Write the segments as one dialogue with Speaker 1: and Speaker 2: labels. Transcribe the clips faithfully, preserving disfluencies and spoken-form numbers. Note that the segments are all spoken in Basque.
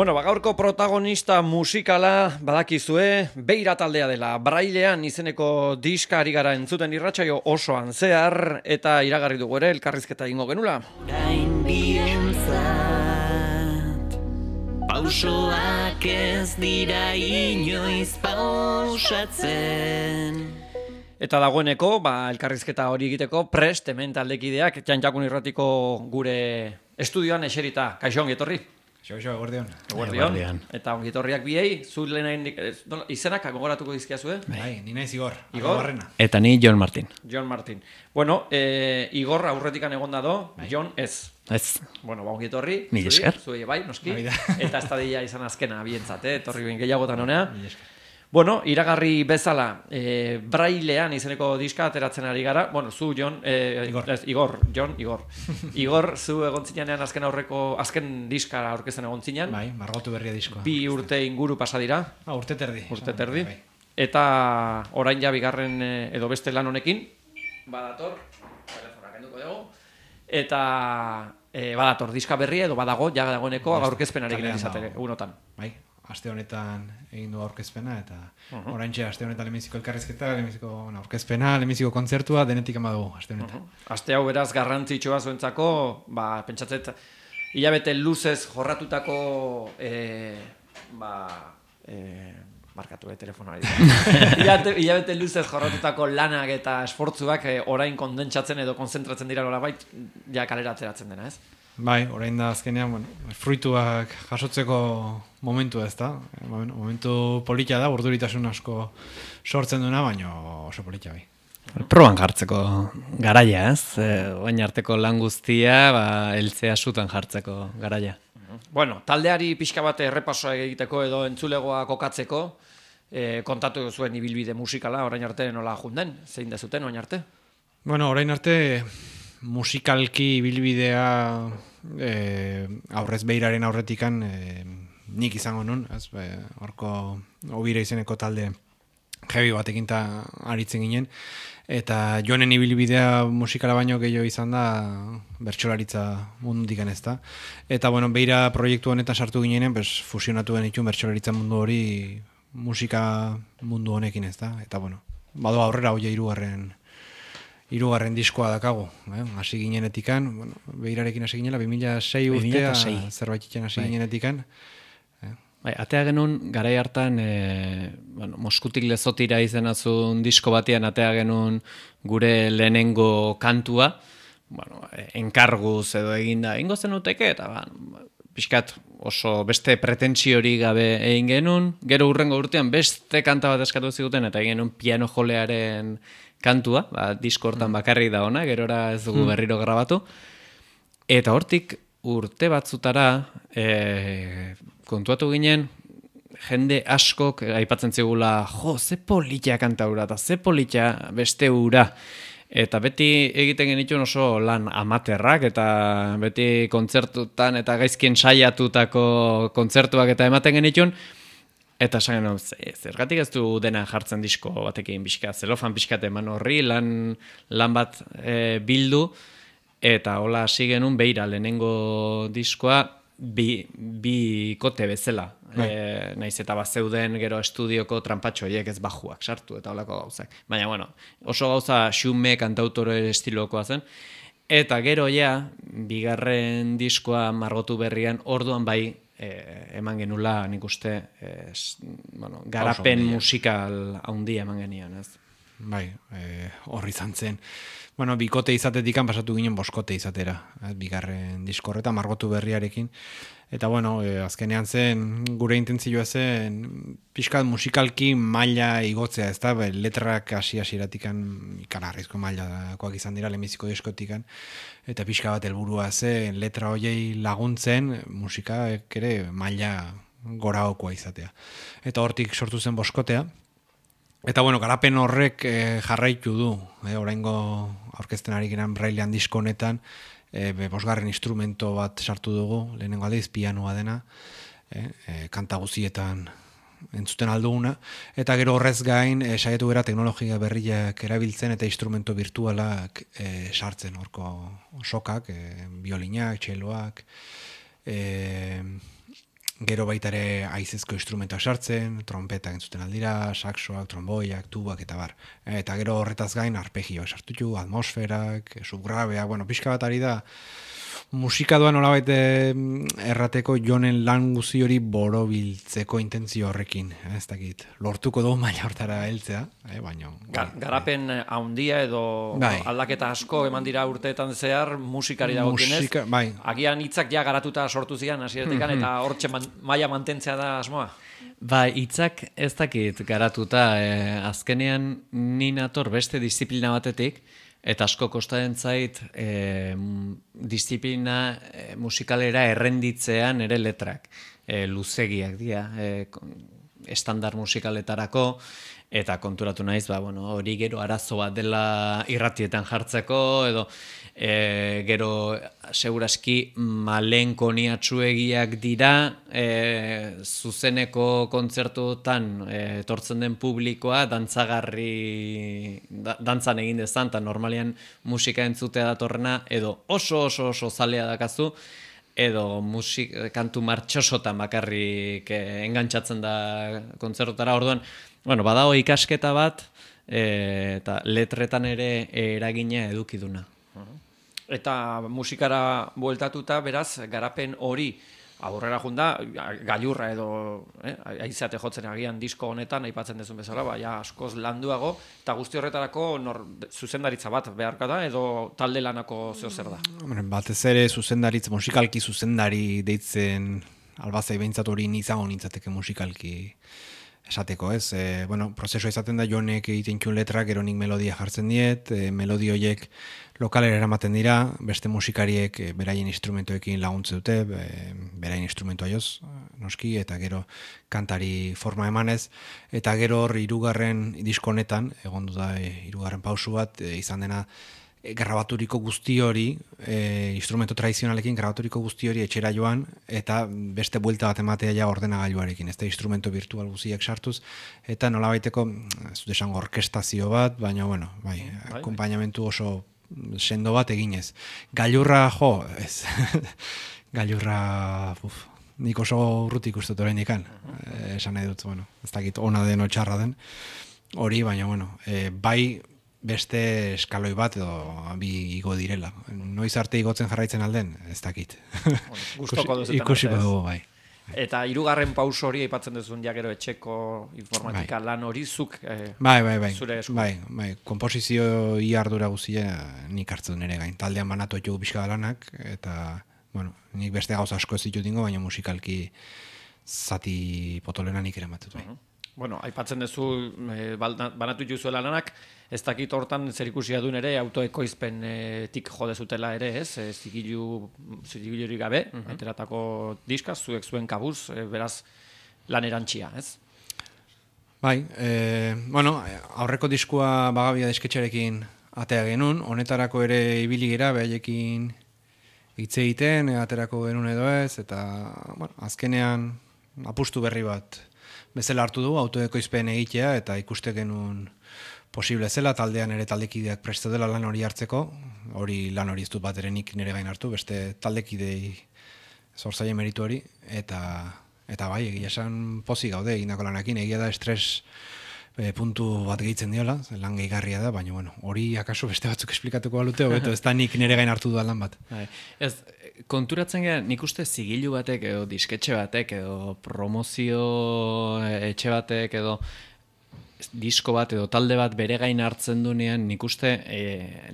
Speaker 1: Bueno, ba, gaurko protagonista musikala badakizue, Beira taldea dela. Brailean izeneko diska ari gara entzuten irratsaio osoan zehar, eta iragarri dugu ere elkarrizketa egingo genula.
Speaker 2: Gain bientzat, pausoak ez dira inoiz pausatzen.
Speaker 1: Eta dagoeneko, ba, elkarrizketa hori egiteko prest hemen taldekideak Txantxakun Irratiko gure estudioan eserita. Kaixo, ongi etorri.
Speaker 3: Xo, xo, eguerdion.
Speaker 1: Eguerdion. Eta ongi etorriak biei, zu lehen izenak gogoratuko dizkiazue?
Speaker 3: Bai, ni naiz Igor.
Speaker 1: Igor?
Speaker 4: Eta ni Jon Martin.
Speaker 1: Jon Martin. Bueno, eh, Igor aurretikan egonda do, bai. Jon ez.
Speaker 4: Ez.
Speaker 1: Bueno, ba, ongi etorri.
Speaker 4: Mil esker.
Speaker 1: Zuei bai, noski.
Speaker 3: Bai da.
Speaker 1: Eta ez da dira izan azkena bientzat, eh? Etorri ben gehiagotan honea. Mil esker. Bueno, iragarri bezala, e, Brailean izeneko diska ateratzen ari gara. Bueno, zu, Jon, e,
Speaker 3: Igor.
Speaker 1: Ez, Igor, Jon, Igor. Igor, zu egon zinean azken aurreko, azken diska aurkezten egon zinean.
Speaker 3: Bai, margotu berria diskoa.
Speaker 1: Bi urte inguru pasa dira.
Speaker 3: Ah, urte terdi.
Speaker 1: Urte terdi.
Speaker 3: Bai.
Speaker 1: Eta orain ja bigarren edo beste lan honekin, badator, telefona kenduko dugu, eta e, badator diska berria edo badago, ja dagoeneko aurkezpenarekin izateke, unotan.
Speaker 3: Bai. Aste honetan egin du aurkezpena eta
Speaker 1: Uh-huh.
Speaker 3: oraintxe aste honetan lehenbiziko elkarrizketa, lehenbiziko bueno, aurkezpena, lehenbiziko kontzertua denetik ama dugu aste honetan.
Speaker 1: Uh-huh. Aste hau beraz garrantzitsua zuentzako, ba, pentsatzet hilabete luzez jorratutako e, ba, e, markatu e, telefonari. hilabete, hilabete luzez jorratutako lanak eta esfortzuak e, orain kondentsatzen edo konzentratzen dira nolabait ja kalera ateratzen dena, ez?
Speaker 3: Bai, orain da azkenean, bueno, fruituak jasotzeko momentua ez da. Momentu polita da, urduritasun asko sortzen duena, baina oso polita bai.
Speaker 4: Proban jartzeko garaia, ez? E, oain arteko lan guztia, ba, eltzea sutan jartzeko garaia.
Speaker 1: Bueno, taldeari pixka bat errepasoa egiteko edo entzulegoa kokatzeko, e, kontatu zuen ibilbide musikala, orain arte nola junden, zein dezuten orain arte?
Speaker 3: Bueno, orain arte musikalki ibilbidea eh, aurrez Beiraren aurretikan eh, nik izango nun, ez, horko Obira izeneko talde heavy batekin ta aritzen ginen, eta Jonen ibilbidea musikala baino gehiago izan da bertsolaritza mundutik ez da. Eta bueno, Beira proiektu honetan sartu ginenen, pues, fusionatu genituen bertsolaritza mundu hori musika mundu honekin ez da. Eta bueno, bado aurrera hoia hirugarren Hirugarren diskoa dakago, eh? Hasi ginenetikan, bueno, Beirarekin hasi ginela, bi mila sei urtea, zerbaititzen hasi ginenetikan.
Speaker 4: Eh? Bai, atea genuen, garai hartan, e, bueno, Moskutik Lezotira izenazun disko batean atea genuen gure lehenengo kantua, bueno, enkarguz edo eginda, ingo zen uteke, eta ba, pixkat oso beste pretentsiori gabe egin genuen, gero hurrengo urtean beste kanta bat eskatu ziguten, eta egin genuen piano jolearen kantua, ba, disko hortan bakarrik da ona, gerora ez dugu berriro grabatu. Eta hortik urte batzutara e, kontuatu ginen, jende askok aipatzen zigula, jo, ze polita kanta hura, eta ze polita beste hura. Eta beti egiten genituen oso lan amaterrak, eta beti kontzertutan eta gaizkien saiatutako kontzertuak eta ematen genituen, eta esan genuen, zergatik ez du dena jartzen disko batekin pixka, zelofan pixkat eman horri, lan, lan bat e, bildu, eta hola hasi genuen Beira lehenengo diskoa bi, bi kote bezala. E, naiz eta bat zeuden gero estudioko trampatxo horiek ez bajuak sartu eta holako gauzak. Baina, bueno, oso gauza xume kantautore estilokoa zen. Eta gero ja, bigarren diskoa margotu berrian, orduan bai, Eh, eman genula nik uste eh, bueno, garapen musikal handia eman genian, ez?
Speaker 3: Bai, eh, horri izan zen. Bueno, bikote izatetikan pasatu ginen boskote izatera, eh, bigarren diskorreta margotu berriarekin. Eta bueno, eh, azkenean zen gure intentzioa zen pixkat musikalki maila igotzea, ez da? Letrak hasi hasieratikan ikaragarrizko mailakoak izan dira lehenbiziko diskotikan. Eta pixka bat helburua zen letra hoiei laguntzen musika ere maila goraokoa izatea. Eta hortik sortu zen boskotea. Eta bueno, garapen horrek eh, jarraitu du, eh, oraingo aurkezten ari geran Brailean disko honetan, eh, bosgarren instrumento bat sartu dugu, lehenengo aldiz pianoa dena, eh, eh, kanta guzietan entzuten alduguna, eta gero horrez gain eh, saiatu gara teknologia berriak erabiltzen eta instrumento virtualak eh, sartzen, horko sokak, eh, biolinak, txeloak, eh, gero baita ere haizezko instrumentoak sartzen, trompetak entzuten aldira, saxoak, tromboiak, tubak eta bar. Eta gero horretaz gain arpegioak sartutu, atmosferak, subgrabeak, bueno, pixka bat ari da, musika doan nolabait errateko jonen lan guzi hori borobiltzeko intentzio horrekin, eh, ez dakit. Lortuko dugu maila hortara heltzea, eh, baina...
Speaker 1: Ga, garapen haundia edo
Speaker 3: bai.
Speaker 1: aldaketa asko eman dira urteetan zehar musikari dagokienez.
Speaker 3: Musika, bai.
Speaker 1: Agian hitzak ja garatuta sortu zian hasieratik eta hortxe man, maila mantentzea da asmoa.
Speaker 4: Ba, hitzak ez dakit garatuta, eh, azkenean ni nator beste disiplina batetik, eta asko kostatzen zait e, disiplina e, musikalera errenditzean ere letrak. E, luzegiak dira, e, estandar musikaletarako, eta konturatu naiz, ba, bueno, hori gero arazo bat dela irratietan jartzeko, edo e, gero seguraski malenkoniatsuegiak dira, e, zuzeneko kontzertuetan e, etortzen den publikoa dantzagarri, da, dantzan egin dezan, eta normalian musika entzutea datorrena, edo oso oso oso zalea dakazu, edo musik, kantu martxosotan bakarrik eh, engantzatzen da kontzertutara. Orduan, bueno, badago ikasketa bat, e, eta letretan ere eragina edukiduna.
Speaker 1: Eta musikara bueltatuta, beraz, garapen hori aurrera junda, gailurra edo eh, aizate jotzen agian disko honetan, aipatzen dezun bezala, ba, ja, askoz landuago, eta guzti horretarako nor, zuzendaritza bat beharka da, edo talde lanako zeo zer da?
Speaker 3: Batez ere zuzendaritza, musikalki zuzendari deitzen albazai behintzat hori izango nintzateke musikalki esateko, ez? E, bueno, prozesua izaten da jonek egiten txun letrak, gero nik melodia jartzen diet, e, melodi horiek lokalera eramaten dira, beste musikariek e, beraien instrumentoekin laguntze dute, e, beraien instrumentoa joz, noski, eta gero kantari forma emanez, eta gero hor hirugarren disko honetan, egon du da e, hirugarren pausu bat, e, izan dena e, grabaturiko guzti hori, e, instrumento tradizionalekin grabaturiko guzti hori etxera joan, eta beste buelta bat ematea ja ordenagailuarekin, ez da instrumento virtual guztiak sartuz, eta nolabaiteko, ez dut esango orkestazio bat, baina, bueno, bai, akompainamentu oso sendo bat eginez. Gailurra, jo, ez, gailurra, uf, nik oso urrutik uste dut oraindik kan, eh, esan nahi dut, bueno, ez dakit ona den o txarra den, hori, baina, bueno, eh, bai, beste eskaloi bat edo bi igo direla. Noiz arte igotzen jarraitzen alden, ez dakit.
Speaker 1: Bueno, gustoko duzetan.
Speaker 3: Ikusiko dugu, bai.
Speaker 1: Eta hirugarren pauso hori aipatzen duzun ja gero etxeko informatika bai. Lan hori zuk eh,
Speaker 3: bai, bai, bai.
Speaker 1: zure esku.
Speaker 3: Bai, bai. Komposizio iardura guztia nik hartzen nire gain. Taldean banatu etxugu pixka lanak, eta bueno, nik beste gauza asko ez ditut dingo, baina musikalki zati potolena nik ere matut, bai.
Speaker 1: Uh-huh. Bueno, aipatzen duzu e, banatu juzuela lanak, ez dakit hortan zer ikusia duen ere autoekoizpen e, tik jode zutela ere, ez? E, zigilu, zigiluri gabe, uh-huh. Ateratako diska, zuek zuen kabuz, e, beraz lan erantxia, ez?
Speaker 3: Bai, e, bueno, aurreko diskua Bagabia desketxarekin atea genuen, honetarako ere ibili gira, behaiekin hitz egiten, aterako genuen edo ez, eta bueno, azkenean apustu berri bat bezala hartu du, autoekoizpen egitea, eta ikuste genuen posible zela, taldean ere taldekideak preste dela lan hori hartzeko, hori lan hori ez dut bat ere nik nire gain hartu, beste taldekidei zorzaile meritu hori, eta, eta bai, egia esan pozik gaude egindako lanakin, egia da estres e, puntu bat gehitzen diola, lan gehigarria da, baina bueno, hori akaso beste batzuk esplikatuko balute, hobeto ez da nik nire gain hartu duan lan bat.
Speaker 4: Ez, konturatzen gara, nik uste zigilu batek edo disketxe batek edo promozio etxe batek edo disko bat edo talde bat bere gain hartzen dunean nik uste e,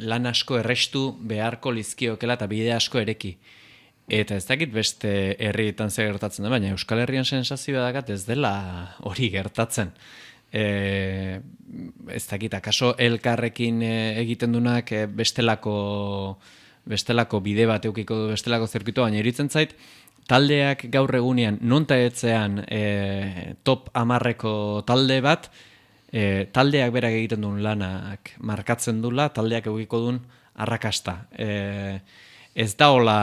Speaker 4: lan asko errestu beharko lizkiokela eta bide asko ereki. Eta ez dakit beste herrietan ze gertatzen da, baina Euskal Herrian sensazioa dakat ez dela hori gertatzen. E, ez dakit, akaso elkarrekin egiten dunak bestelako bestelako bide bat eukiko du bestelako zirkuito, baina iritzen zait, taldeak gaur egunean nonta etzean e, top amarreko talde bat, e, taldeak berak egiten duen lanak markatzen dula, taldeak eukiko duen arrakasta. E, ez da hola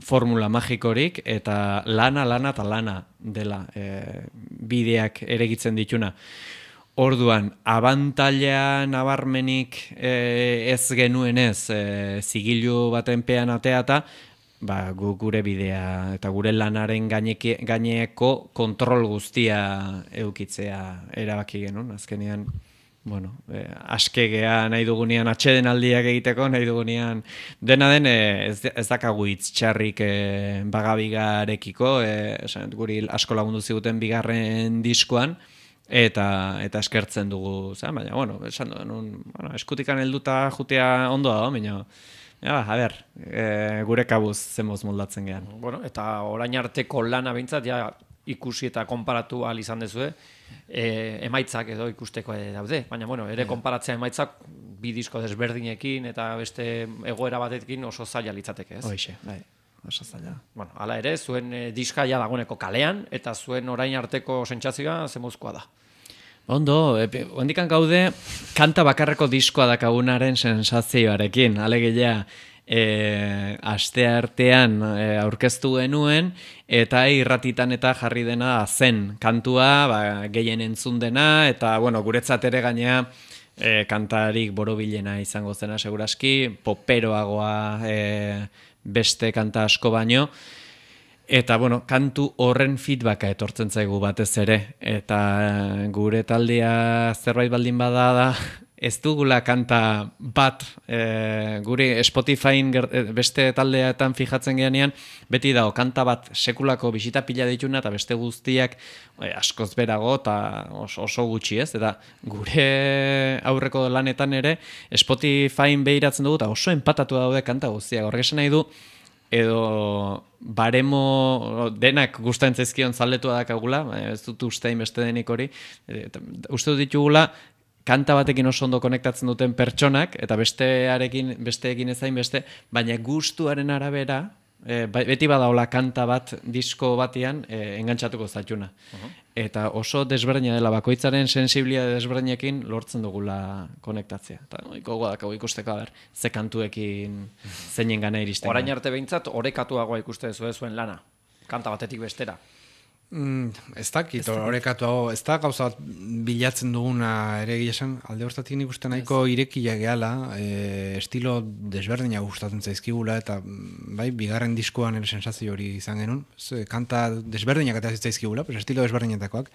Speaker 4: formula magikorik, eta lana, lana eta lana dela e, bideak eregitzen dituna. Orduan, abantaila nabarmenik e, ez genuenez e, zigilu baten pean ateata, ba, gu, gure bidea eta gure lanaren gaineke, gaineko kontrol guztia eukitzea erabaki genuen, azkenean bueno, eh, askegea nahi dugunean atxeden aldiak egiteko, nahi dugunean dena den eh, ez, ez dakagu hitz txarrik eh, bagabigarekiko, eh, esan, guri asko lagundu ziguten bigarren diskoan, eta eta eskertzen dugu, za, baina, bueno, esan duen, bueno, eskutikan helduta jutea ondo da, baina, ja, a ber, e, gure kabuz zemoz moldatzen gehan.
Speaker 1: Bueno, eta orain arteko lana behintzat, ja, ikusi eta konparatu ahal izan dezue, e, emaitzak edo ikusteko daude, baina, bueno, ere konparatzea emaitzak bi disko desberdinekin eta beste egoera batekin oso zaila litzateke, ez?
Speaker 4: Hoixe, bai. Oso zaila.
Speaker 1: Bueno, hala ere, zuen e, diska ja dagoeneko kalean, eta zuen orain arteko sentsazioa zemuzkoa da.
Speaker 4: Ondo, hondikan gaude, kanta bakarreko diskoa dakagunaren sensazioarekin, alegia e, aste artean e, aurkeztu genuen, eta irratitan eta jarri dena zen kantua, ba, gehien entzun dena, eta bueno, guretzat ere gainea e, kantarik borobilena izango zena seguraski, poperoagoa e, beste kanta asko baino, eta, bueno, kantu horren feedbacka etortzen zaigu batez ere. Eta gure taldea zerbait baldin bada da, ez dugula kanta bat, e, guri Spotifyn beste taldeetan fijatzen geanean, beti dago kanta bat sekulako bisita pila dituna, eta beste guztiak e, askoz berago, eta oso, oso gutxi ez. Eta gure aurreko lanetan ere, Spotifyn behiratzen dugu, eta oso empatatu daude kanta guztiak. Horrek esan nahi du, edo baremo denak gustatzen zaizkion zaldetua dakagula, ez dut ustein beste denik hori, uste dut ditugula kanta batekin oso ondo konektatzen duten pertsonak, eta bestearekin, besteekin ezain beste, baina gustuaren arabera, e, beti badaola kanta bat disko batean e, engantzatuko zaituna. Uh-huh. Eta oso desberdina dela, bakoitzaren sensibilia desberdinekin lortzen dugula konektatzea. Eta no, gogoak hau ikusteko, ber, ze kantuekin zeinen gana iristen.
Speaker 1: Orain arte behintzat, orekatuagoa ikuste zuen zuen lana, kanta batetik bestera.
Speaker 3: Mm, ez dakit, horrekatu hau, ez da gauza bat bilatzen duguna ere esan, alde hortatik nik uste nahiko irekia gehala, e, estilo desberdina gustatzen zaizkigula, eta bai, bigarren diskoan ere sensazio hori izan genuen, e, kanta desberdinak eta zaizkigula, pues, estilo desberdinetakoak,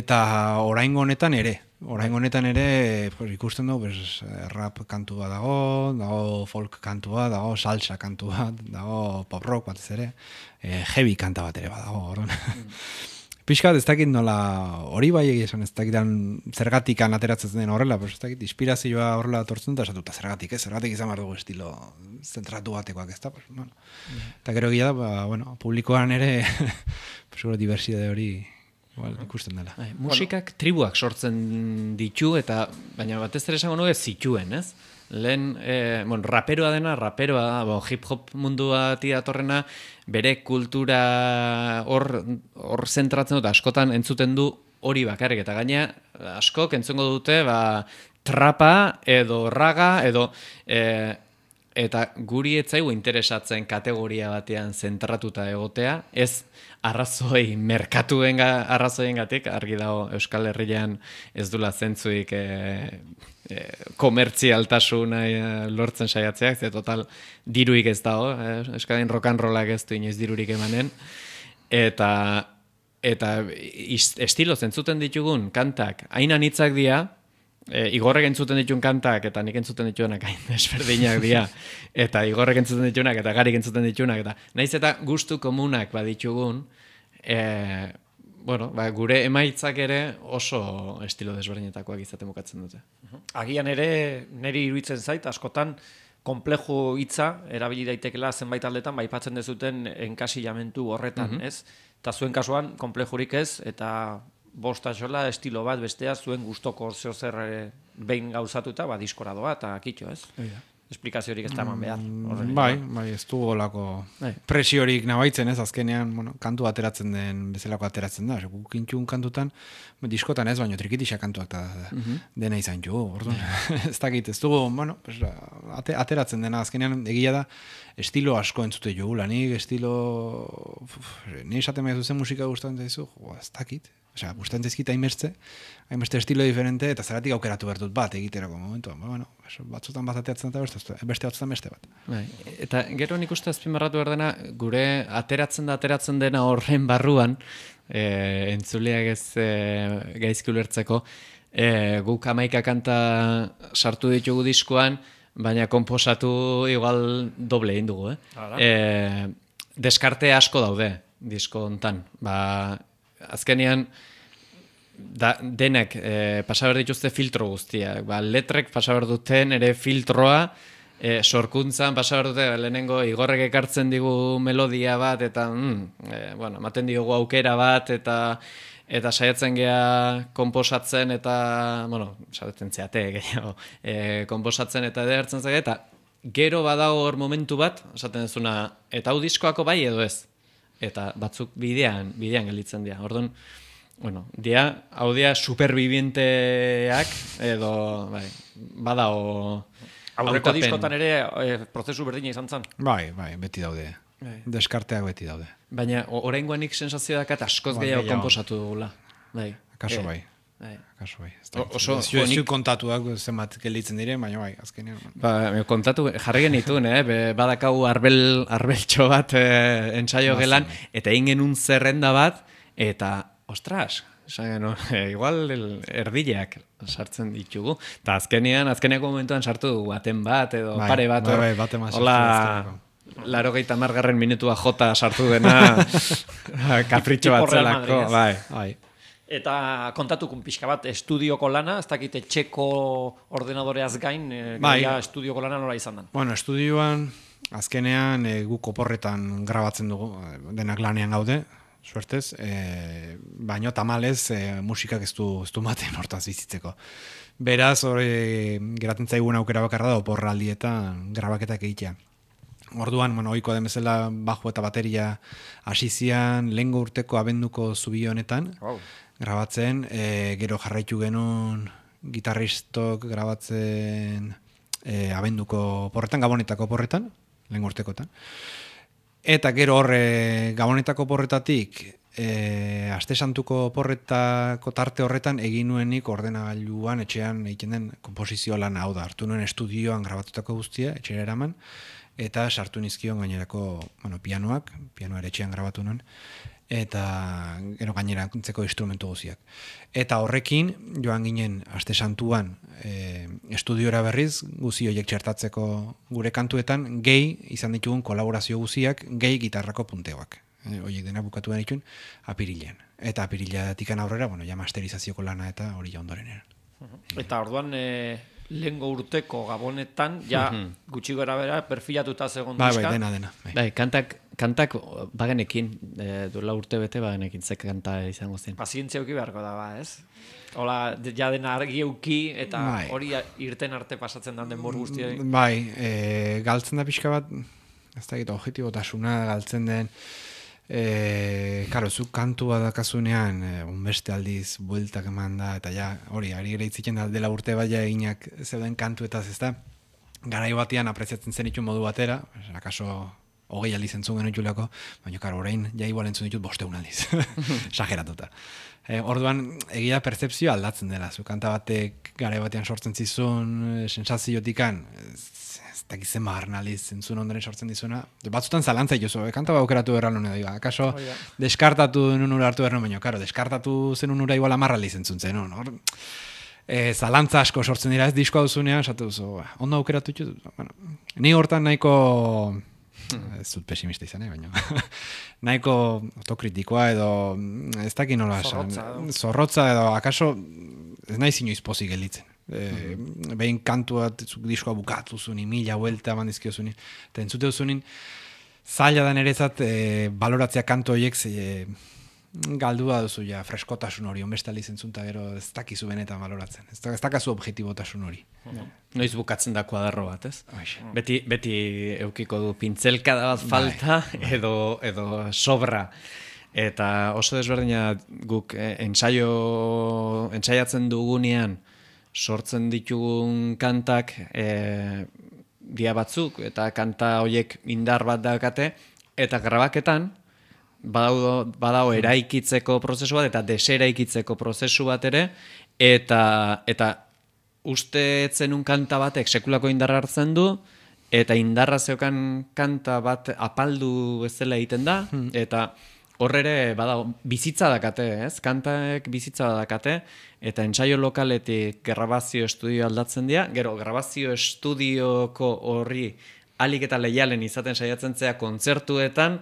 Speaker 3: eta oraingo honetan ere, oraingo honetan ere pues, ikusten dugu pues, rap kantua dago, dago folk kantua, dago salsa kantua, dago pop rock batez ere, e, heavy kanta bat ere badago, orduan. Mm. Piskat ez dakit nola hori bai egia esan, ez dakitan zergatikan ateratzen den horrela, pues ez dakit inspirazioa horrela tortzen da, esatuta zergatik, ez, zergatik izan behar dugu estilo zentratu batekoak, ez da, pues, bueno. Mm. Eta gero egia da, ba, bueno, publikoan ere, pues, diversidade hori igual, ikusten dela.
Speaker 4: Ai, musikak tribuak sortzen ditu, eta baina batez ere esango nuke zituen, ez? Lehen, eh, bueno, raperoa dena, raperoa, bo, hip-hop mundua datorrena, bere kultura hor, hor zentratzen dut, askotan entzuten du hori bakarrik, eta gaina askok entzungo dute, ba, trapa, edo raga, edo... Eh, eta guri etzaigu interesatzen kategoria batean zentratuta egotea, ez arrazoi, merkatuen arrazoiengatik, argi dago Euskal Herrian ez dula zentzuik e, e, komertzialtasuna e, lortzen saiatzeak, ze total diruik ez dago, e, Euskadin rock and rollak ez du inoiz dirurik emanen, eta, eta estilo zentzuten ditugun kantak, hain anitzak dira, E, Igorrek entzuten dituen kantak eta nik entzuten dituenak hain desberdinak dira, eta Igorrek entzuten dituenak eta Garik entzuten dituenak, eta naiz eta gustu komunak baditugun, e, bueno, ba, gure emaitzak ere oso estilo desberdinetakoak izaten bukatzen dute.
Speaker 1: Agian ere niri iruditzen zait, askotan konpleju hitza erabili daitekela zenbait aldetan baipatzen dezuten enkasilamentu horretan, mm-hmm. ez? Eta zuen kasuan konplejurik ez, eta bosta xola estilo bat bestea zuen gustoko zeo zer behin gauzatuta, ba, diskora doa eta kitxo, ez? Yeah. Esplikaziorik ez da eman behar.
Speaker 3: Mm, bai, bai, ez du golako presiorik nabaitzen, ez? Azkenean, bueno, kantu ateratzen den, bezalako ateratzen da. Guk intxun kantutan, diskotan ez, baino trikitixa kantuak da, mm-hmm. dena izan jo, orduan. ez dakit, ez dugu, bueno, pues, ate, ateratzen dena, azkenean egia da, estilo asko entzute jogula, nik estilo... Ni esaten maizu zen musika gustatzen zaizu, jo, ez dakit. Osea, gustatzen zaizkit hainbeste, hainbeste estilo diferente, eta zeratik aukeratu behar dut bat egiterako momentuan. Ba, bueno, batzutan bat ateatzen eta beste, beste batzutan beste bat.
Speaker 4: Bai. Eta gero nik uste azpimarratu behar dena, gure ateratzen da ateratzen dena horren barruan, e, entzuleak ez e, gaizki ulertzeko, e, guk hamaika kanta sartu ditugu diskoan, baina konposatu igual doble egin dugu, eh? E, deskarte asko daude disko hontan. Ba, azkenean, da, denek e, pasaber dituzte filtro guztiak. Ba, letrek pasaber duten ere filtroa, e, sorkuntzan pasaber dute lehenengo Igorrek ekartzen digu melodia bat, eta mm, e, bueno, ematen diogu aukera bat, eta eta saiatzen gea konposatzen, eta, bueno, saiatzen zeate, gehiago, e, konposatzen eta edertzen zage, eta gero badago hor momentu bat, esaten dezuna, eta hau diskoako bai edo ez. Eta batzuk bidean, bidean gelditzen dira. Orduan, bueno, dia, hau dia supervivienteak, edo, bai, badao...
Speaker 1: Aurreko diskotan ere e, prozesu berdina izan zen.
Speaker 3: Bai, bai, beti daude. Bai. Deskarteak beti daude.
Speaker 4: Baina, oraingoan nik sensazio dakat askoz
Speaker 3: Ba,
Speaker 4: gehiago
Speaker 3: gehiago.
Speaker 4: konposatu dugula. Bai.
Speaker 3: Akaso
Speaker 4: Eh,
Speaker 3: bai.
Speaker 4: bai.
Speaker 3: Akaso bai.
Speaker 4: O- oso-
Speaker 3: Ez ez
Speaker 4: nik-
Speaker 3: zu kontatuak zenbat gelditzen diren, baina bai, azkenean.
Speaker 4: Ba, kontatu, jarri genituen, eh? Be, badakau arbel, arbeltxo bat eh, entsaio
Speaker 3: Bazen,
Speaker 4: gelan,
Speaker 3: bai.
Speaker 4: eta egin genuen zerrenda bat, eta, ostras, esan genuen, eh, igual el, erdileak sartzen ditugu. Eta azkenean, azkeneko momentuan sartu dugu baten bat, edo
Speaker 3: Bai,
Speaker 4: pare bat.
Speaker 3: bai,
Speaker 4: hor.
Speaker 3: bai, baten bat sartu
Speaker 4: Hola,
Speaker 3: azkeneko.
Speaker 4: laro gehieta margarren minutua jota sartu dena, kapritxo
Speaker 1: Tipo
Speaker 4: bat
Speaker 1: Real
Speaker 4: zelako.
Speaker 1: Madrid, ez?
Speaker 4: Bai.
Speaker 3: Bai.
Speaker 1: Eta kontatukun pixka bat, estudioko lana, ez dakite txeko ordenadoreaz gain, e,
Speaker 3: Bai.
Speaker 1: gaia estudioko lana nola izan den.
Speaker 3: Bueno, estudioan, azkenean e, guk oporretan grabatzen dugu, e, denak lanean gaude, suertez, e, baino tamalez e, musikak ez du, ez du maten hortaz bizitzeko. Beraz, hori geratzen zaigun aukera bakarra da oporraldietan grabaketak egitea. Orduan, bueno, ohikoa den bezala bajo eta bateria hasi zian lehengo urteko abenduko zubi honetan,
Speaker 1: Wow.
Speaker 3: grabatzen, e, gero jarraitu genuen gitarristok grabatzen e, abenduko porretan, gabonetako porretan, lehen urtekotan. Eta gero horre gabonetako porretatik, e, aste santuko porretako tarte horretan egin nuenik ordenagailuan etxean egiten den komposizio lana, hau da, hartu nuen estudioan grabatutako guztia, etxera eraman, eta sartu nizkion gainerako, bueno, pianoak, pianoa ere etxean grabatu nuen, eta gero gainerantzeko instrumentu guztiak. Eta horrekin, joan ginen aste santuan e, estudiora berriz, guzi horiek txertatzeko gure kantuetan, gehi izan ditugun kolaborazio guziak, gehi gitarrako punteoak. E, horiek dena bukatu denitun apirilean. Eta apirileatikan aurrera, bueno, ja masterizazioko lana eta hori ja ondorenean.
Speaker 1: Eta orduan, e, lehengo urteko gabonetan, ja gutxi gara bera, perfilatuta zegoen
Speaker 3: Bai,
Speaker 1: diska.
Speaker 3: bai, dena, dena. Bai.
Speaker 4: Bai, kantak, kantak bagenekin, e, duela urte bete bagenekin ze kanta izango zen.
Speaker 1: Pazientzia euki beharko da, ba, ez? Hola, de- ja dena argi euki, eta
Speaker 3: Bai.
Speaker 1: hori irten arte pasatzen den denbor guztia.
Speaker 3: Bai, e, galtzen da pixka bat, ez da egita objetibotasuna galtzen den, e, karo, zuk kantua dakazunean, e, unbeste aldiz bueltak eman da, eta ja, hori, ari ere itziken da dela urte bat ja eginak zeuden kantuetaz, ez da, garai batean apreziatzen zen itun modu batera, akaso hogei aldiz entzun genitulako, baina karo, orain ja igual entzun ditut bosteun aldiz, esageratuta. E, orduan, egia pertzepzioa aldatzen dela, zu kanta batek garai batean sortzen zizun, e, sensaziotikan, ez, ez dakizen magarnaliz entzun ondoren sortzen dizuna, batzutan zalantza ituzu, e, kanta bat aukeratu berra nuen edo, akaso
Speaker 1: Hori da.
Speaker 3: deskartatu denun ura hartu berra, baina, karo, deskartatu zenun ura igual amarraliz entzun zen, hor, e, zalantza asko sortzen dira, ez diskoa duzunean, esatu duzu, ba, ondo aukeratu ditut, bueno, ni hortan nahiko, ez dut pesimista izan, eh, baina nahiko autokritikoa edo ez dakit nola esan,
Speaker 1: Zorrotza edo.
Speaker 3: zorrotza edo akaso ez naiz inoiz pozik gelditzen. E, behin kantua diskoa bukatu zunin, mila huelta bandizkio zunin, eta entzute zunin zaila da niretzat e, baloratzea kantu horiek e, galdua duzu ja, freskotasun hori, onbeste aldiz entzun eta gero ez dakizu benetan baloratzen, ez, da, ez dakazu objektibotasun hori.
Speaker 4: Noiz bukatzen da kuadarro bat, ez?
Speaker 3: Hoxe.
Speaker 4: Beti, beti eukiko du pintzelkada bat falta edo, edo sobra. Eta oso desberdina guk eh, ensaio, ensaiatzen dugunean sortzen ditugun kantak eh, dia batzuk eta kanta horiek indar bat daukate eta grabaketan badao, badao eraikitzeko prozesu bat eta deseraikitzeko prozesu bat ere, eta, eta uste zenun kanta batek sekulako indarra hartzen du, eta indarra zeukan kanta bat apaldu bezala egiten da, eta hor ere badago bizitza dakate, ez? Kantaek bizitza dakate, eta entsaio lokaletik grabazio estudio aldatzen dira, gero grabazio estudioko horri alik eta leialen izaten saiatzen zea kontzertuetan,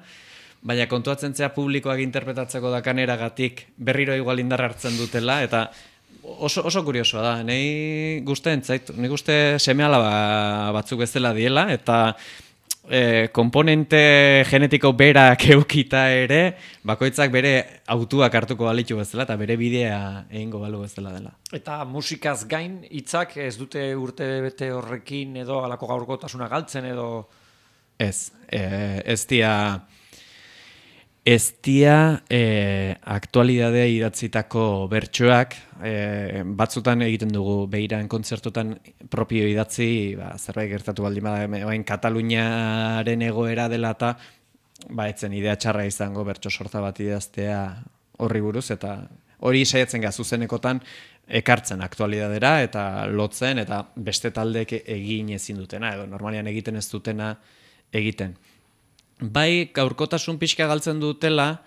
Speaker 4: baina kontuatzen zea publikoak interpretatzeko dakaneragatik berriro igual indarra hartzen dutela, eta oso, oso kuriosoa da. Nei gustatzen zait, nik uste seme-alaba batzuk bezala diela, eta e, komponente genetiko berak eukita ere, bakoitzak bere autuak hartuko balitu bezala, eta bere bidea egingo balu bezala dela.
Speaker 1: Eta musikaz gain hitzak ez dute urte bete horrekin edo alako gaurkotasuna galtzen edo...
Speaker 4: Ez, e, ez dia... Ez dia e, aktualidadea idatzitako bertsoak, e, batzutan egiten dugu behiran kontzertutan propio idatzi, ba, zerbait gertatu baldin bada, bain Kataluniaren egoera dela eta ba, etzen idea txarra izango bertso sorta bat idaztea horri buruz, eta hori saiatzen ga zuzenekotan ekartzen aktualidadera eta lotzen, eta beste taldeek egin ezin dutena, edo normalian egiten ez dutena egiten. Bai, gaurkotasun pixka galtzen dutela,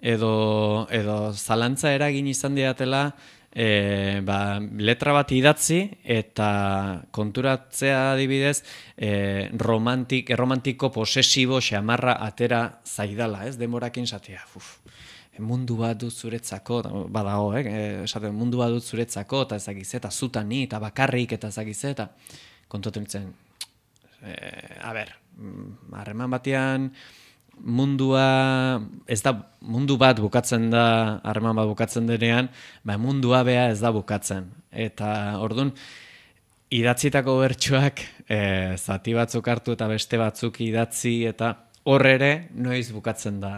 Speaker 4: edo, edo zalantza eragin izan diatela, e, ba, letra bat idatzi, eta konturatzea adibidez, e, romantik, erromantiko posesibo xamarra atera zaidala, ez? Demorakin zatea, uf, mundu bat dut zuretzako, badago, eh? Esaten, mundu bat dut zuretzako, eta ezagiz, eta zutani, eta bakarrik, eta ezagiz, eta kontuatzen ditzen, e, a ber, harreman batean mundua ez da mundu bat bukatzen da, harreman bat bukatzen denean, ba mundua bea ez da bukatzen. Eta ordun idatzitako bertsoak e, zati batzuk hartu eta beste batzuk idatzi, eta hor ere noiz bukatzen da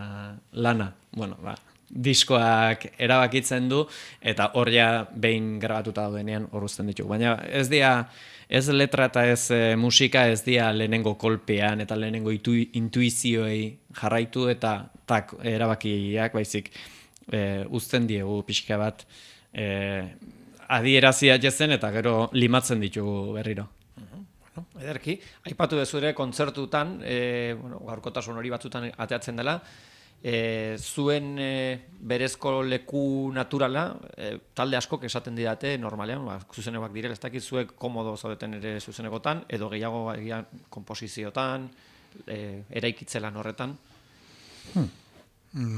Speaker 4: lana. Bueno, ba, diskoak erabakitzen du, eta hor ja behin grabatuta daudenean hor uzten ditugu. Baina ez dira Ez letra eta ez e, musika ez dira lehenengo kolpean eta lehenengo itu, intuizioei jarraitu eta tak, erabakiak baizik e, uzten diegu pixka bat e, adierazia jezen eta gero limatzen ditugu berriro.
Speaker 1: Bueno, ederki, aipatu dezu ere kontzertutan, e, bueno, gaurkotasun hori batzutan ateatzen dela, E, zuen e, berezko leku naturala, e, talde askok esaten didate normalean, ba, zuzenekoak direla, ez dakit zuek komodo zaudeten ere zuzenekotan, edo gehiago egia konposiziotan, e, eraikitzelan horretan.
Speaker 3: Hmm.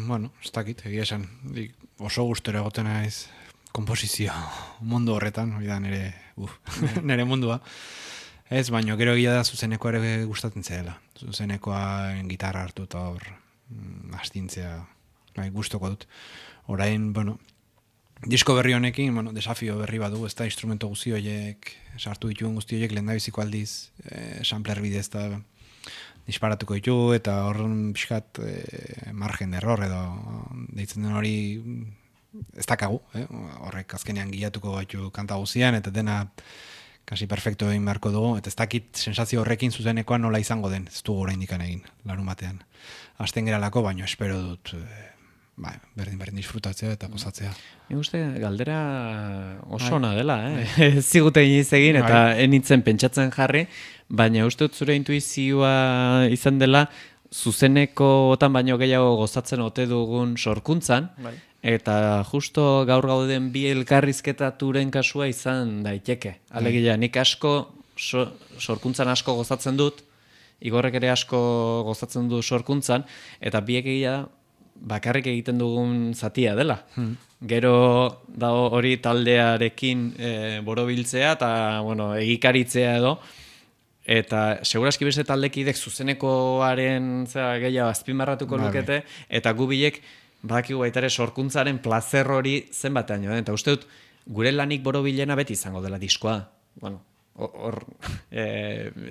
Speaker 3: Bueno, ez dakit, egia esan, oso gustero egoten naiz konposizio mundu horretan, hori da nire, uf, nire mundua. Ez, baino gero egia da zuzenekoa ere gustatzen zela. Zuzenekoa gitarra hartu eta hor astintzea bai, gustoko dut. Orain, bueno, disko berri honekin, bueno, desafio berri badu, ez da instrumento guzti horiek, sartu dituen guzti horiek lehendabiziko aldiz, eh, sampler bidez eta disparatuko ditu, eta horren pixkat eh, margen error edo deitzen den hori ez dakagu, eh? Horrek azkenean gilatuko gaitu kanta guztian, eta dena kasi perfecto egin beharko dugu, eta ez dakit sensazio horrekin zuzenekoa nola izango den, ez dugu oraindik egin, larun batean. Azten geralako, baino espero dut eh, bai, berdin-berdin disfrutatzea eta gozatzea.
Speaker 4: Nik uste galdera oso ona dela, eh? Ez zigute iniz egin eta enitzen pentsatzen jarri, baina uste dut zure intuizioa izan dela zuzenekotan baino gehiago gozatzen ote dugun sorkuntzan, bai. Eta justo gaur gauden bi elkarrizketaturen kasua izan daiteke. Alegia, nik asko so, sorkuntzan asko gozatzen dut, Igorrek ere asko gozatzen du sorkuntzan, eta biek egia bakarrik egiten dugun zatia dela. Hmm. Gero da hori taldearekin e, borobiltzea eta bueno, egikaritzea edo, eta seguraski beste taldekidek zuzenekoaren zera, gehiago azpimarratuko lukete, eta gu bilek badakigu baita ere sorkuntzaren plazer hori zenbatean joan, eta uste dut gure lanik borobilena beti izango dela diskoa. Bueno, hor... E,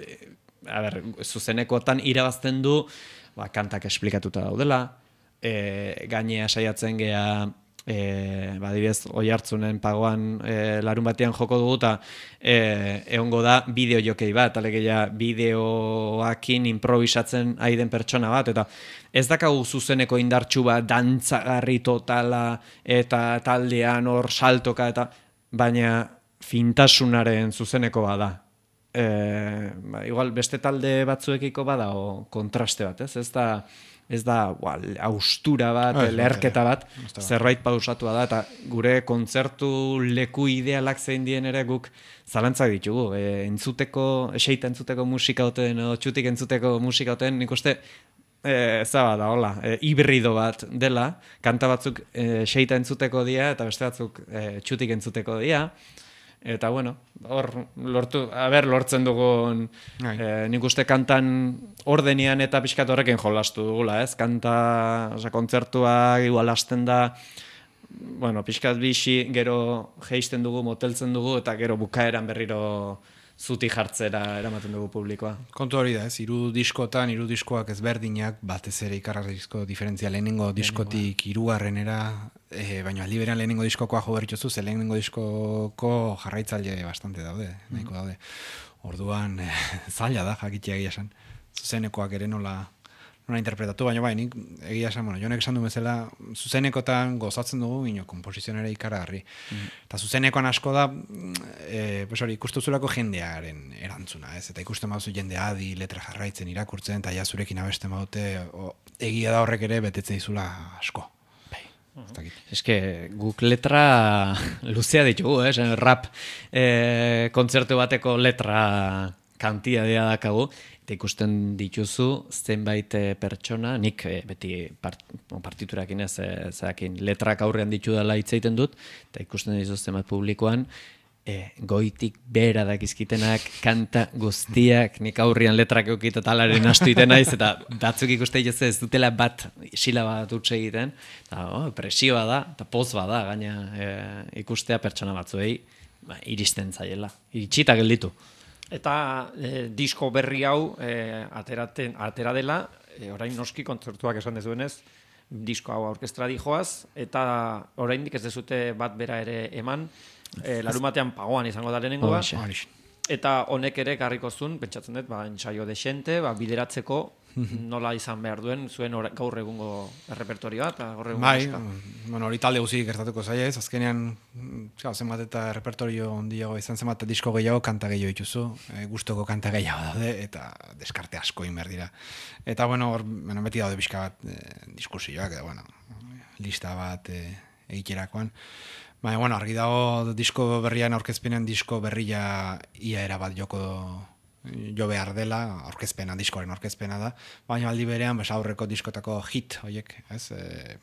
Speaker 4: a ber, zuzenekotan irabazten du, ba, kantak esplikatuta daudela, e, gainea saiatzen gea e, badibidez, oi hartzunen pagoan e, larun batean joko dugu, eta e, egongo da bideo jokei bat, alegia bideoakin improvisatzen ari den pertsona bat, eta ez dakagu zuzeneko indartxu bat, dantzagarri totala, eta taldean hor saltoka, eta baina fintasunaren zuzeneko bada. E, ba, igual beste talde batzuekiko bada o kontraste bat, ez? Ez da ez da ba, austura bat,
Speaker 3: ah,
Speaker 4: leherketa bat, zerbait pausatua da, eta gure kontzertu leku idealak zein dien ere guk zalantzak ditugu. E, entzuteko, eseita entzuteko musika oten, o txutik entzuteko musika oten, nik uste, e, zaba da, hola, e, hibrido bat dela, kanta batzuk e, eseita entzuteko dia, eta beste batzuk e, txutik entzuteko dia, eta bueno, hor lortu, a ber, lortzen dugun eh, nik uste kantan ordenian eta pixkat horrekin jolastu dugula, ez? Kanta, oza, kontzertua igual hasten da, bueno, pixkat bixi, gero geisten dugu, moteltzen dugu, eta gero bukaeran berriro zuti jartzera eramaten dugu publikoa.
Speaker 3: Kontu hori da, ez? Hiru diskotan, hiru diskoak ezberdinak, batez ere ikarrazko diferentzia lehenengo diskotik hirugarrenera, e, baina aldi berean lehenengo diskokoa jo berritxozu, ze lehenengo diskoko jarraitzaile bastante daude, nahiko daude. Orduan, e, zaila da, jakitea egia esan. Zuzenekoak ere nola, nola interpretatu, baina bai, nik egia esan, bueno, jonek esan du bezala, zuzenekotan gozatzen dugu, ino, komposizionera ikaragarri. Mm. Eta zuzenekoan asko da, e, pues hori, ikustuzulako jendearen erantzuna, ez? Eta ikusten baduzu jende adi, letra jarraitzen, irakurtzen, eta ja zurekin abesten badute, o, egia da horrek ere betetzen dizula asko.
Speaker 4: Ez que guk letra luzea ditugu, eh? Rap eh, kontzertu bateko letra kantidadea dakagu, eta ikusten dituzu zenbait pertsona, nik eh, beti part, partiturakin ez, eh, zakin, letrak aurrean ditu dela hitz egiten dut, eta ikusten dituzu zenbait publikoan, E, goitik bera dakizkitenak, kanta guztiak, nik aurrian letrak eukit eta alaren astu iten naiz, eta batzuk ikuste dituz ez dutela bat sila bat utxe egiten, eta oh, presioa da, eta poz bada, gaina e, ikustea pertsona batzuei ba, iristen zaiela, iritsita gelditu.
Speaker 1: Eta e, disko berri hau e, ateraten, atera dela, e, orain noski kontzertuak esan dezuenez, disko hau aurkestra dijoaz, eta oraindik ez dezute bat bera ere eman, E, larun batean pagoan izango da lehenengoa, eta honek ere garriko zuen, pentsatzen dut, ba, ensaio desente, ba, bideratzeko nola izan behar duen zuen or, gaur egungo errepertorioa, eta gaur egungo
Speaker 3: bai,
Speaker 1: musika.
Speaker 3: Bueno, hori talde guzik gertatuko zaila ez, azkenean zau, zenbat eta errepertorio ondiago izan, zenbat disko gehiago, kanta gehiago dituzu, e, gustoko kanta gehiago daude, eta deskarte asko inber dira. Eta, bueno, hor, bueno, beti daude bizka bat e, diskursioak, eta, bueno, lista bat e, egiterakoan. Baina, bueno, argi dago disko berrian aurkezpenean disko berria ia erabat joko jo behar dela, aurkezpena, diskoaren aurkezpena da, baina aldi berean, bes, aurreko diskotako hit, horiek, ez, e,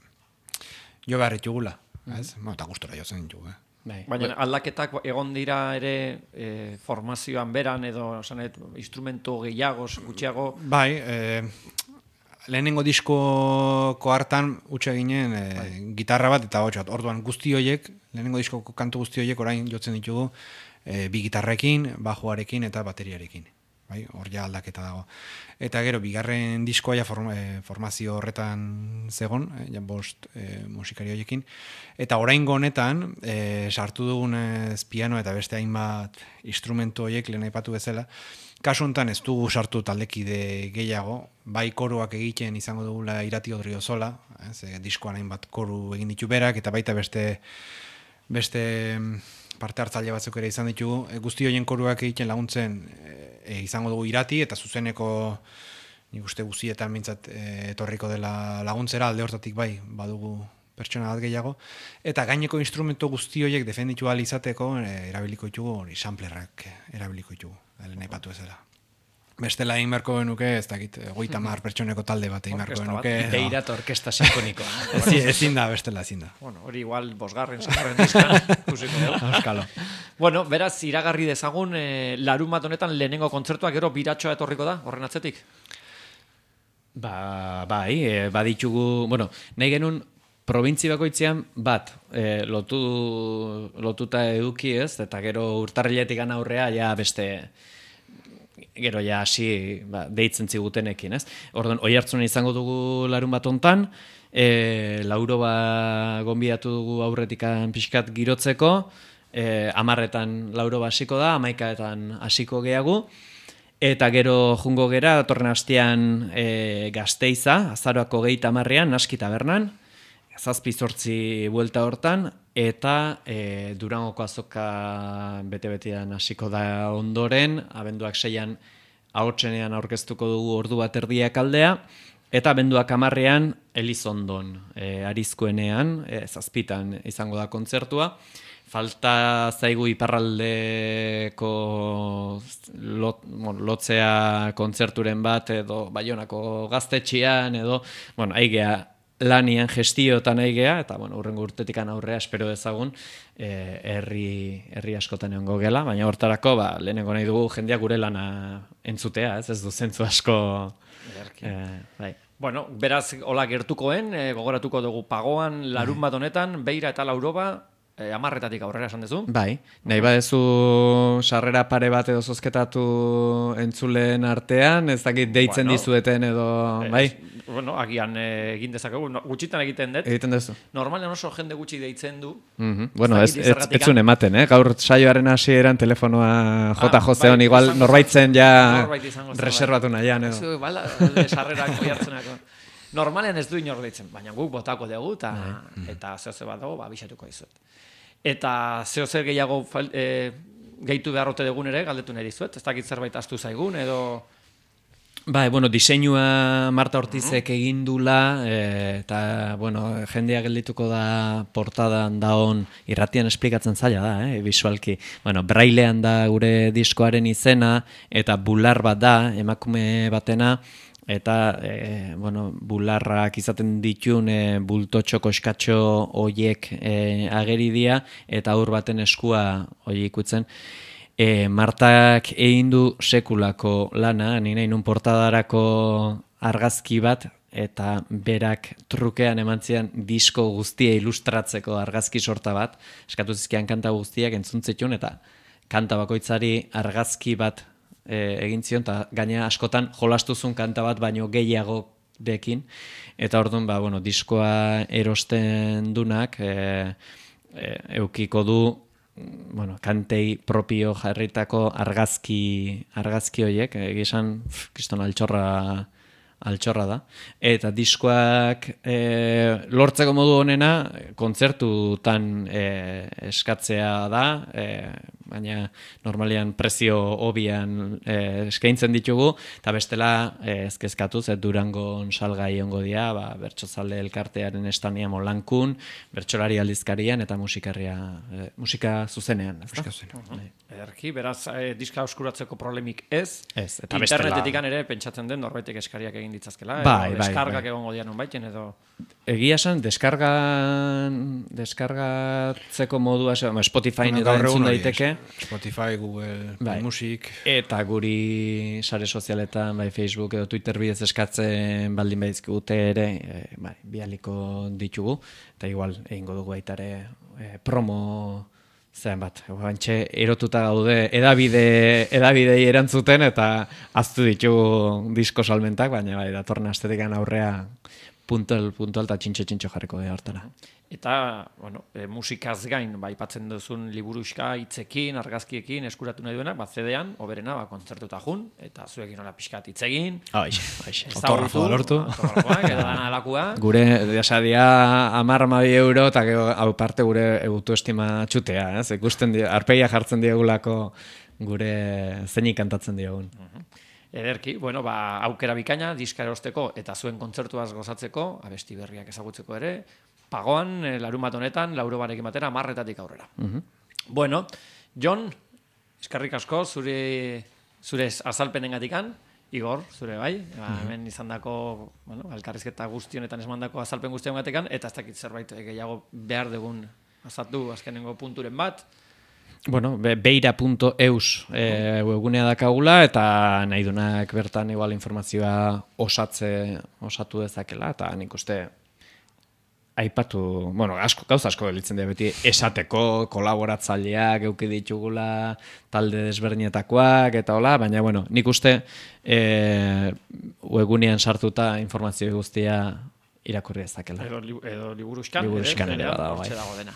Speaker 3: jo behar ditugula, ez, mm-hmm. Eta gustora jozen ditugu, eh.
Speaker 1: Bai. Baina aldaketak egon dira ere e, formazioan beran edo sanet, instrumento gehiago, gutxiago.
Speaker 3: Bai, e, lehenengo diskoko hartan utxe ginen e, bai. Gitarra bat eta hotxat. Orduan guzti horiek, lehenengo diskoko kantu guzti horiek orain jotzen ditugu e, bi gitarrekin, bajoarekin eta bateriarekin. Bai, hor ja aldaketa dago. Eta gero, bigarren diskoa ja form, e, formazio horretan zegon, e, ja bost e, musikari horiekin. Eta oraingo honetan, e, sartu dugun ez piano eta beste hainbat instrumentu horiek lehen aipatu bezala, kasu honetan ez dugu sartu taldekide gehiago, bai koruak egiten izango dugula Irati Odriozola, ez, e, diskoan hainbat koru egin ditu berak, eta baita beste beste parte hartzaile batzuk ere izan ditugu, e, guzti horien koruak egiten laguntzen e, izango dugu Irati, eta zuzeneko nik uste guztietan mintzat e, etorriko dela laguntzera, alde hortatik bai, badugu pertsona bat gehiago, eta gaineko instrumento guzti horiek defenditu ahal izateko e, erabiliko ditugu, hori samplerrak erabiliko ditugu, lehen aipatu ezela. Bestela egin beharko genuke, ez dakit, hogeita hamar pertsoneko talde bat egin beharko genuke.
Speaker 4: Deirat orkesta sinfonikoa.
Speaker 3: Ezin, ezin da, bestela ezin da.
Speaker 1: Bueno, hori igual bosgarren, zagarren dizkan, kusiko dugu.
Speaker 4: Euskalo.
Speaker 1: Bueno, beraz, iragarri dezagun, eh, larun bat honetan lehenengo kontzertuak gero biratxoa etorriko da, horren atzetik?
Speaker 4: Ba, bai, e, baditugu, bueno, nahi genuen probintzi bakoitzean bat, e, lotu, lotuta eduki ez, eta gero urtarriletik aurrea ja beste gero ja hasi ba, deitzen zigutenekin, ez? Orduan, oi hartzunen izango dugu larun bat hontan, e, lauro ba gonbidatu dugu aurretikan pixkat girotzeko, e, amarretan lauro hasiko da, amaikaetan hasiko gehagu, eta gero jungo gera, datorren astean e, Gasteiza, azaroako geita amarrean, Naski Tabernan, zazpi zortzi buelta hortan, eta e, Durangoko azoka bete-betean hasiko da ondoren, abenduak seian ahotsenean aurkeztuko dugu ordu bat erdiak aldea, eta abenduak hamarrean Elizondon, e, Arizkuenean, e, zazpitan izango da kontzertua. Falta zaigu iparraldeko lot, bueno, lotzea kontzerturen bat, edo Baionako gaztetxian, edo, bueno, aigea lanian gestiotan aigea, eta, bueno, urrengo urtetikan aurrea espero dezagun, eh, herri, herri askotan egongo gela, baina hortarako, ba, lehenengo nahi dugu jendeak gure lana entzutea, ez, ez du zentzu asko, eh, bai.
Speaker 1: Bueno, beraz, hola gertukoen, eh, gogoratuko dugu Pagoan, larun bat honetan, Beira eta Lauroba, E, amarretatik aurrera esan duzu?
Speaker 4: Bai, nahi badezu sarrera pare bat edo zozketatu entzuleen artean, ez dakit deitzen bueno, dizueten edo,
Speaker 1: eh,
Speaker 4: bai?
Speaker 1: Bueno, agian eh, egin dezakegu, no, gutxitan egiten dut.
Speaker 4: Egiten duzu.
Speaker 1: Normalen oso jende gutxi deitzen du.
Speaker 4: Mm-hmm. Bueno, ez, ez, ez zuen ematen, eh? Gaur saioaren hasieran telefonoa jota ah, jozeon, bai, igual norbaitzen ja norbait reservatu nahian edo.
Speaker 1: Ez, bala, sarrerak oiartzenako. Normalen ez du inor deitzen, baina guk botako dugu eta, mm. eta zeo zer bat dago, ba, bisatuko dizuet. Eta zeo zer gehiago e, gehitu beharrote dugun ere, galdetu nahi dizuet, ez dakit zerbait astu zaigun, edo...
Speaker 4: Ba, bueno, diseinua Marta Ortizek egin dula, e, eta, bueno, jendea geldituko da portadan daon, irratian esplikatzen zaila da, eh, visualki. Bueno, brailean da gure diskoaren izena, eta bular bat da, emakume batena, eta e, bueno, bularrak izaten ditun e, bultotxo koskatxo hoiek e, ageri dira, eta aur baten eskua hori ikutzen. E, Martak egin du sekulako lana, ni nahi nun portadarako argazki bat, eta berak trukean eman zian disko guztia ilustratzeko argazki sorta bat, eskatu zizkian kanta guztiak entzuntzitun, eta kanta bakoitzari argazki bat E, egin zion, eta gaina askotan jolastuzun kanta bat baino gehiago dekin, eta orduan, ba, bueno, diskoa erosten dunak, e, e, eukiko du, bueno, kantei propio jarritako argazki, argazki horiek, egizan, kriston altxorra, altxorra da, eta diskoak e, lortzeko modu honena, kontzertutan e, eskatzea da, e, baina normalian prezio hobian eh, eskaintzen ditugu, eta bestela eh, ezkezkatuz, ez Durangon salgai ongo dia, ba, bertsozale elkartearen estania Molankun, bertsolari aldizkarian eta musikarria, eh, musika zuzenean.
Speaker 3: Musika zuzenean.
Speaker 1: Uh-huh. Ederki, beraz, eh, diska oskuratzeko problemik ez,
Speaker 4: ez eta
Speaker 1: internetetik ere pentsatzen den norbaitek eskariak egin ditzazkela,
Speaker 4: bai,
Speaker 1: edo
Speaker 4: bai,
Speaker 1: deskargak
Speaker 4: bai.
Speaker 1: egongo dian baiten edo...
Speaker 4: Egia esan, deskarga, deskargatzeko modua, Spotify
Speaker 3: bueno,
Speaker 4: edo entzun daiteke.
Speaker 3: Spotify, Google,
Speaker 4: bai.
Speaker 3: Music.
Speaker 4: Eta guri sare sozialetan, bai Facebook edo Twitter bidez eskatzen baldin badizkigute ere, e, bai, bialiko ditugu, eta igual egingo dugu baita ere e, promo zen bat. Bantxe erotuta gaude edabide, edabidei erantzuten eta aztu ditugu disko salmentak, baina bai, datorren astetikan aurrea puntual, puntual eta txintxo-txintxo jarriko da hartara.
Speaker 1: Eta, bueno, e, musikaz gain, ba, ipatzen duzun liburuxka, hitzekin, argazkiekin, eskuratu nahi duena, ba, C D-an, oberena, ba, kontzertuta jun, eta zuekin hola pixkat hitzegin.
Speaker 4: Aixe, aixe.
Speaker 3: Autografoa lortu.
Speaker 1: Autografoak, edo dana alakua.
Speaker 4: Gure, desadia, amar amabi euro, eta hau parte gure autoestima txutea, ez? Ikusten di, arpeia jartzen diegulako gure zeinik kantatzen diogun.
Speaker 1: Uh-huh. Ederki, bueno, ba, aukera bikaina, diska erosteko eta zuen kontzertuaz gozatzeko, abesti berriak ezagutzeko ere, Pagoan, larun bat honetan, lauro barekin batera, marretatik aurrera.
Speaker 4: Uh-huh.
Speaker 1: Bueno, Jon, eskarrik asko, zure, zure azalpenengatikan, Igor, zure bai, ba, hemen izan dako, bueno, alkarrizketa guztionetan esmandako azalpen guztiongatekan, eta ez dakit zerbait gehiago behar dugun azaltu azkenengo punturen bat.
Speaker 4: Bueno, beira punto eus e, webgunea dakagula, eta nahi dunak bertan igual informazioa osatze, osatu dezakela, eta nik uste aipatu, bueno, asko, gauza asko gelitzen dira beti esateko, kolaboratzaileak euki ditugula, talde desberdinetakoak, eta hola, baina, bueno, nik uste e, webgunean sartuta informazio guztia irakurri ezakela.
Speaker 1: Edo, li, edo liburuzkan.
Speaker 4: Liburuzkan ere bada, bai.
Speaker 1: Dago dena.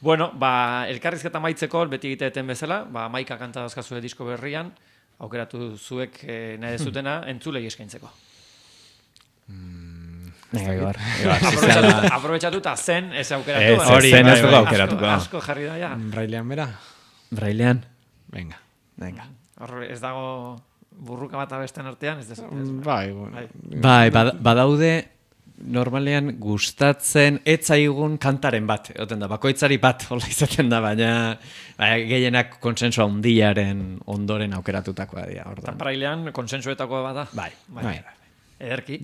Speaker 1: Bueno, ba, elkarrizketa maitzeko, beti egiteeten bezala, ba, maika kanta dazkazue disko berrian, aukeratu zuek eh, nahi dezutena, entzulei eskaintzeko.
Speaker 4: Venga, Igor.
Speaker 1: Aprobetxatu- Aprobetxatu eta zen ez aukeratu.
Speaker 4: Ez,
Speaker 1: eh?
Speaker 4: hori, zen ez
Speaker 1: Bai,
Speaker 4: dugu
Speaker 1: bai,
Speaker 4: aukeratuko.
Speaker 1: Asko, asko jarri da, ja.
Speaker 3: Brailean bera?
Speaker 4: Brailean.
Speaker 3: Venga.
Speaker 4: Venga.
Speaker 1: Hor ez dago burruka bat abesten artean, ez dezu.
Speaker 3: Bai, bueno.
Speaker 1: Bai.
Speaker 4: Bai, bad- badaude normalean gustatzen etzaigun kantaren bat, egoten da, bakoitzari bat hola izaten da, baina ba, gehienak konsensua handiaren ondoren aukeratutakoa dira.
Speaker 1: Eta
Speaker 4: Orduan.
Speaker 1: brailean konsensuetakoa bada.
Speaker 4: Bai,
Speaker 1: bai. Ederki.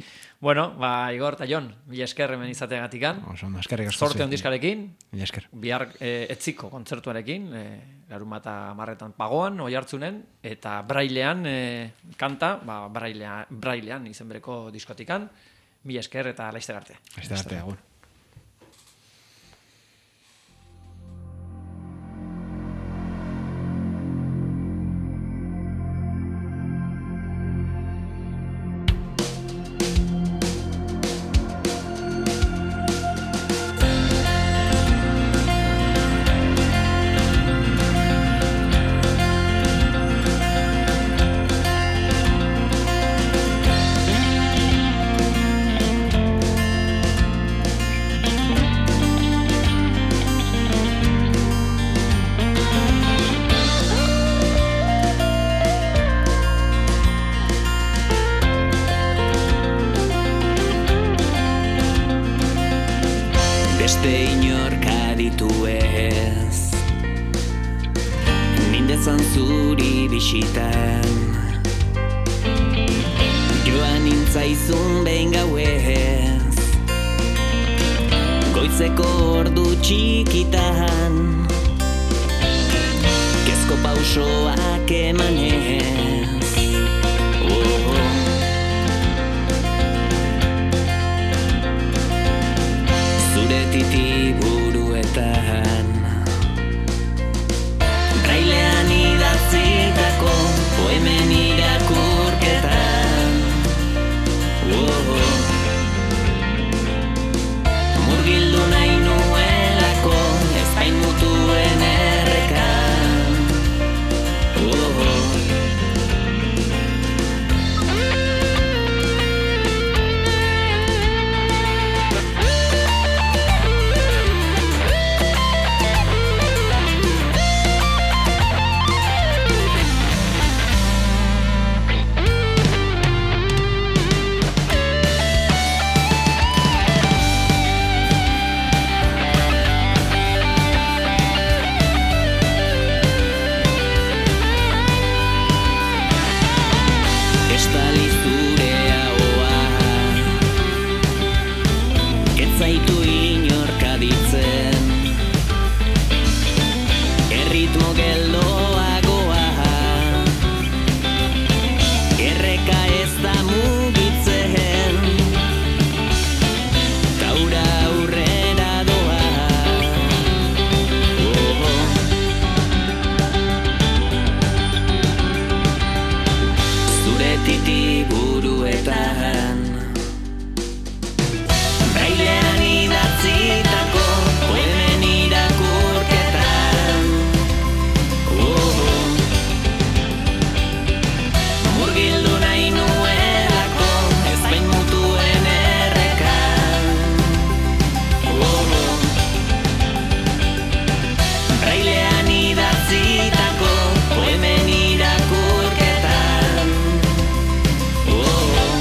Speaker 1: Bueno, ba, Igor eta Jon, mila esker hemen izateagatikan.
Speaker 3: Oso, eskerrik asko.
Speaker 1: Sorte
Speaker 3: zuei.
Speaker 1: ondiskarekin,
Speaker 3: Mila esker.
Speaker 1: bihar e, etziko kontzertuarekin, e, larunbata marretan pagoan, oihartzunen, eta brailean e, kanta, ba, brailea, brailean izen bereko diskotikan, mila esker eta laizter arte.
Speaker 3: Laizter arte, agur.
Speaker 2: Beste inork aditu ez Nindezan zuri bisitan Joan nintzaizun behin gauez Goizeko ordu txikitan Kezko pausoak emanez oh, oh. Zure titi buruetan Brailean idatzitako poemen irakurketan oh, oh. Murgildu nahi nuelako ezpain mutuen errekan oh, oh. Estali zure ahoa Ez zaitu inork aditzen Erritmo geldoagoa Erreka ez da mugitzen Taura aurrera doa oh, oh. Zure titi buruetan Brailean idatzitako poemen irakurketan oh, oh. Murgildu nahi nuelako ezpain mutuen errekan oh, oh. Brailean idatzitako poemen irakurketan oh, oh.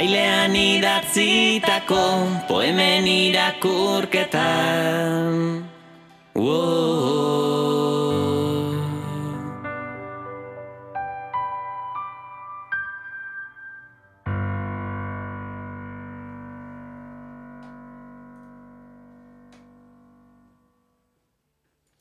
Speaker 2: brailean idatzitako poemen irakurketan. Wow.